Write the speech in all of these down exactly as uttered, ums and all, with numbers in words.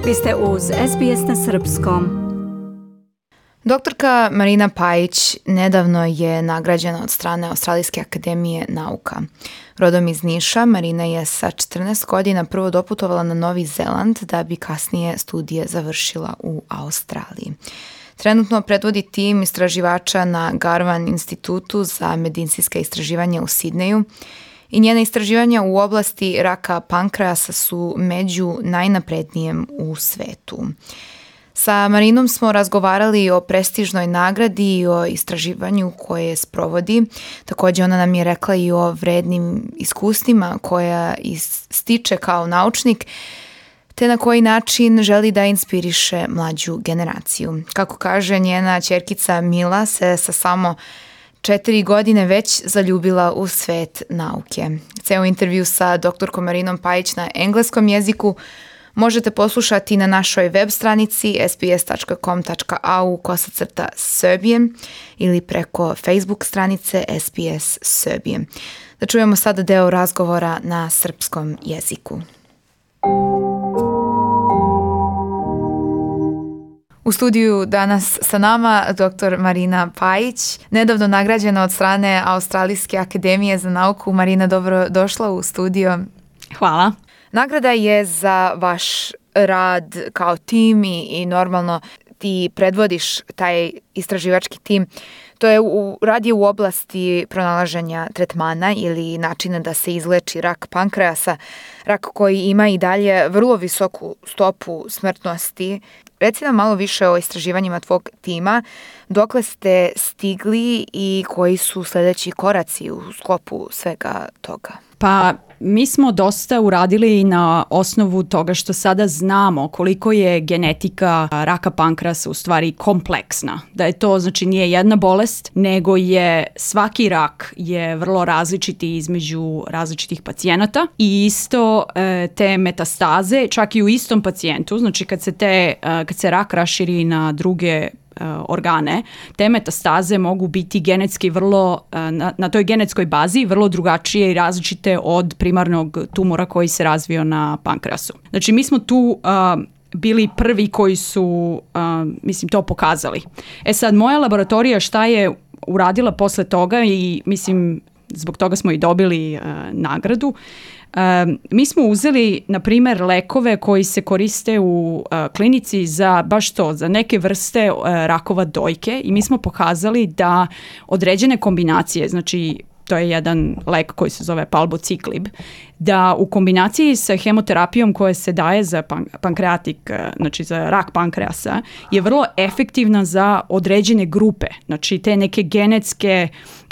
Vi ste uz S B S na srpskom. Doktorka Marina Pajić nedavno je nagrađena od strane Australijske akademije nauka. Rodom iz Niša, Marina je sa četrnaest godina prvo doputovala na Novi Zeland da bi kasnije studije završila u Australiji. Trenutno predvodi tim istraživača na Garvan institutu za medicinska istraživanja u Sidneju i njena istraživanja u oblasti raka pankreasa su među najnaprednijem u svetu. Sa Marinom smo razgovarali o prestižnoj nagradi i o istraživanju koje sprovodi. Također ona nam je rekla i o vrednim iskustvima koja stiče kao naučnik, te na koji način želi da inspiriše mlađu generaciju. Kako kaže, njena ćerkica Mila se sa samo četiri godine već zaljubila u svet nauke. Ceo intervju sa doktorkom Marinom Pajić na engleskom jeziku možete poslušati na našoj web stranici s b s tačka com tačka a u kosacrta Serbian ili preko Facebook stranice S B S Serbian. Da čujemo sada deo razgovora na srpskom jeziku. U studiju danas sa nama doktor Marina Pajić, nedavno nagrađena od strane Australijske akademije za nauku. Marina, dobro došla u studio. Hvala. Nagrada je za vaš rad kao tim i, i normalno ti predvodiš taj istraživački tim. To je u, rad je u oblasti pronalaženja tretmana ili načina da se izleči rak pankreasa, rak koji ima i dalje vrlo visoku stopu smrtnosti. Reci nam malo više o istraživanjima tvog tima, dokle ste stigli i koji su sljedeći koraci u sklopu svega toga? Pa mi smo dosta uradili na osnovu toga što sada znamo koliko je genetika raka pankreasa u stvari kompleksna. Da je to, znači, nije jedna bolest, nego je svaki rak je vrlo različiti između različitih pacijenata i isto e, te metastaze, čak i u istom pacijentu, znači kad se, te, e, kad se rak raširi na druge organe, te metastaze mogu biti genetski vrlo, na, na toj genetskoj bazi vrlo drugačije i različite od primarnog tumora koji se razvio na pankreasu. Znači mi smo tu uh, bili prvi koji su, uh, mislim, to pokazali. E sad, moja laboratorija šta je uradila posle toga i mislim, zbog toga smo i dobili uh, nagradu. Uh, mi smo uzeli, na primjer, lekove koji se koriste u uh, klinici za baš to, za neke vrste uh, rakova dojke i mi smo pokazali da određene kombinacije, znači to je jedan lek koji se zove palbociclib, da u kombinaciji sa hemoterapijom koja se daje za pan- pankreatik, znači za rak pankreasa, je vrlo efektivna za određene grupe, znači te neke genetske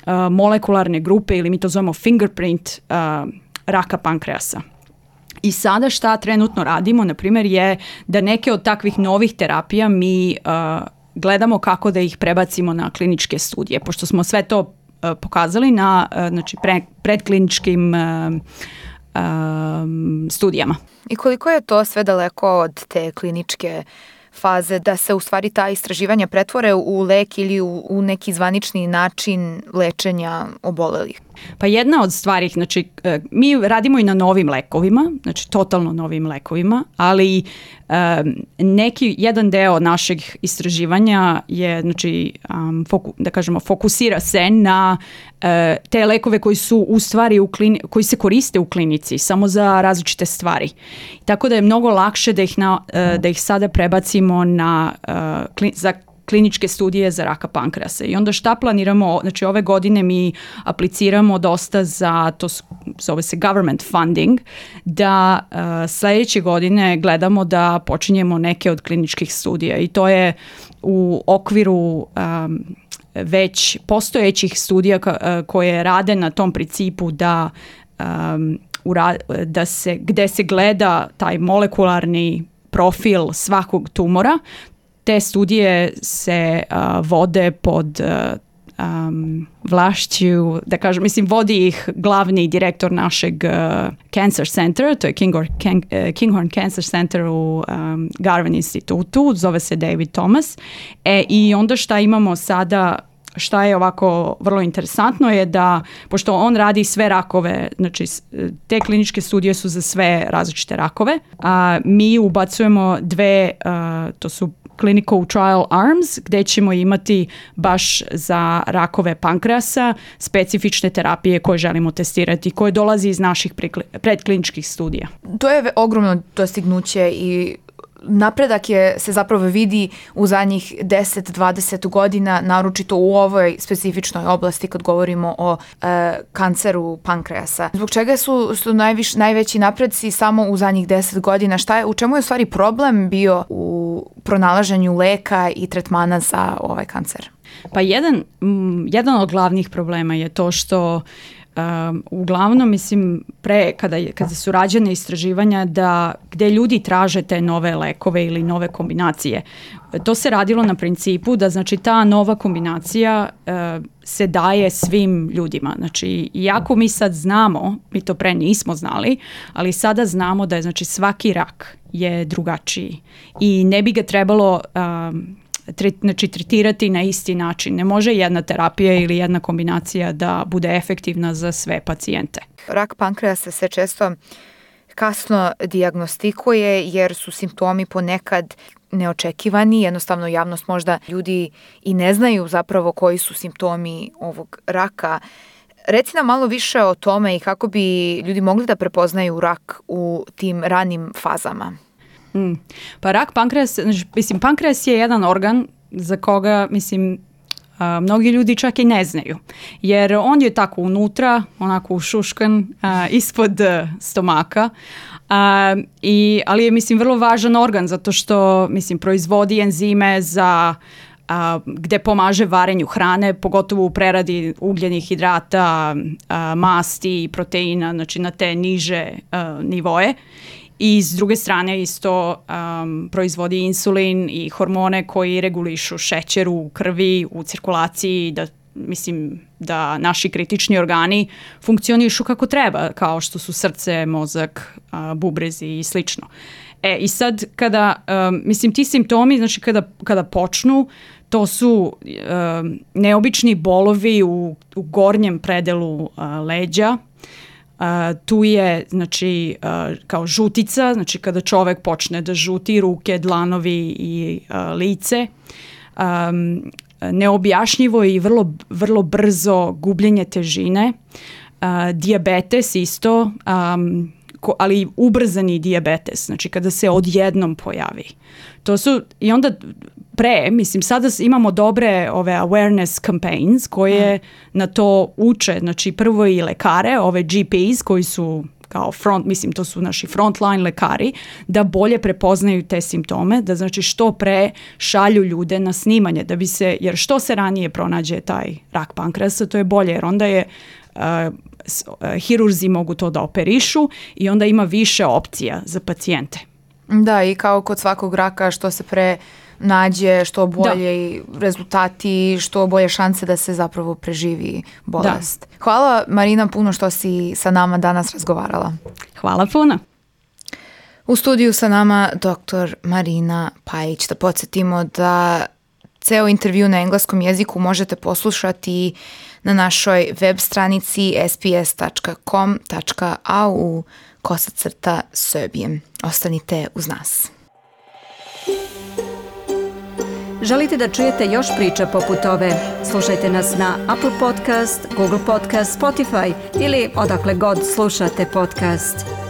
uh, molekularne grupe ili mi to zovemo fingerprint uh, raka pankreasa. I sada šta trenutno radimo, na primjer, je da neke od takvih novih terapija mi uh, gledamo kako da ih prebacimo na kliničke studije, pošto smo sve to uh, pokazali na uh, znači pre, predkliničkim uh, um, studijama. I koliko je to sve daleko od te kliničke faze da se u stvari ta istraživanja pretvore u lek ili u, u neki zvanični način lečenja obolelih? Pa jedna od stvari, znači mi radimo i na novim lekovima, znači totalno novim lekovima, ali um, neki, jedan deo našeg istraživanja je, znači, um, foku, da kažemo, fokusira se na uh, te lekove koji su u stvari u klini, koji se koriste u klinici samo za različite stvari. Tako da je mnogo lakše da ih, na, uh, da ih sada prebacimo na uh, klin, za kliničke studije za raka pankreasa. I onda šta planiramo, znači ove godine mi apliciramo dosta za, to zove se government funding, da uh, sljedeće godine gledamo da počinjemo neke od kliničkih studija i to je u okviru um, već postojećih studija ka, koje rade na tom principu da, um, ura, da se, gde se gleda taj molekularni profil svakog tumora. Te studije se uh, vode pod uh, um, vlašću, da kažem, mislim, vodi ih glavni direktor našeg uh, Cancer Center, to je Kinghorn, King, uh, Kinghorn Cancer Center u um, Garvan institutu, zove se David Thomas. E, i onda šta imamo sada šta je ovako vrlo interesantno je da, pošto on radi sve rakove, znači te kliničke studije su za sve različite rakove, a mi ubacujemo dve, a, to su clinical trial arms, gdje ćemo imati baš za rakove pankreasa specifične terapije koje želimo testirati, koje dolazi iz naših predkliničkih studija. To je ogromno dostignuće i napredak je, se zapravo vidi u zadnjih deset do dvadeset godina, naročito u ovoj specifičnoj oblasti kad govorimo o e, kanceru pankreasa. Zbog čega su, su najviš, najveći napreci samo u zadnjih deset godina? Šta je, u čemu je u stvari problem bio u pronalaženju leka i tretmana za ovaj kancer? Pa jedan, m, jedan od glavnih problema je to što Um, uglavnom, mislim, pre, kada, je, kada su rađene istraživanja da gde ljudi traže te nove lekove ili nove kombinacije, to se radilo na principu da znači ta nova kombinacija uh, se daje svim ljudima. Znači, iako mi sad znamo, mi to pre nismo znali, ali sada znamo da je znači svaki rak je drugačiji i ne bi ga trebalo um, znači tretirati na isti način. Ne može jedna terapija ili jedna kombinacija da bude efektivna za sve pacijente. Rak pankreasa se često kasno dijagnostikuje jer su simptomi ponekad neočekivani, jednostavno javnost možda ljudi i ne znaju zapravo koji su simptomi ovog raka. Reci nam malo više o tome i kako bi ljudi mogli da prepoznaju rak u tim ranim fazama. Mm. Pa rak pankreas, mislim, pankreas je jedan organ za koga, mislim, a, mnogi ljudi čak i ne znaju. Jer on je tako unutra, onako ušuškan, a, ispod a, stomaka. A, i, ali je, mislim, vrlo važan organ zato što, mislim, proizvodi enzime za a, gde pomaže varenju hrane, pogotovo u preradi ugljenih hidrata, a, masti i proteina, znači na te niže a, nivoje. I s druge strane isto um, proizvodi insulin i hormone koji regulišu šećer u krvi, u cirkulaciji, da mislim da naši kritični organi funkcionišu kako treba, kao što su srce, mozak, uh, bubrezi i slično. E, i sad kada, um, mislim, ti simptomi, znači kada, kada počnu, to su um, neobični bolovi u, u gornjem predelu uh, leđa. Uh, tu je znači uh, kao žutica, znači kada čovek počne da žuti ruke, dlanovi i uh, lice, um, neobjašnjivo i vrlo, vrlo brzo gubljenje težine, uh, dijabetes isto, um, ko, ali ubrzani dijabetes, znači kada se odjednom pojavi. To su, i onda pre, mislim, sada imamo dobre ove awareness campaigns koje mm. na to uče, znači prvo i lekare, ove G Ps koji su kao front, mislim, to su naši frontline lekari, da bolje prepoznaju te simptome, da znači što pre šalju ljude na snimanje, da bi se, jer što se ranije pronađe taj rak pankreasa, to je bolje, jer onda je uh, hirurzi mogu to da operišu i onda ima više opcija za pacijente. Da, i kao kod svakog raka, što se pre nađe, što bolje da. rezultati, što bolje šanse da se zapravo preživi bolest. Da. Hvala Marina puno što si sa nama danas razgovarala. Hvala puno. U studiju sa nama doktor Marina Pajić. Da podsjetimo da ceo intervju na engleskom jeziku možete poslušati na našoj web stranici s b s tačka com tačka a u kosacrta Srbije. Ostanite uz nas. Želite da čujete još priča poput ove? Slušajte nas na Apple Podcast, Google Podcast, Spotify ili odakle god slušate podcast.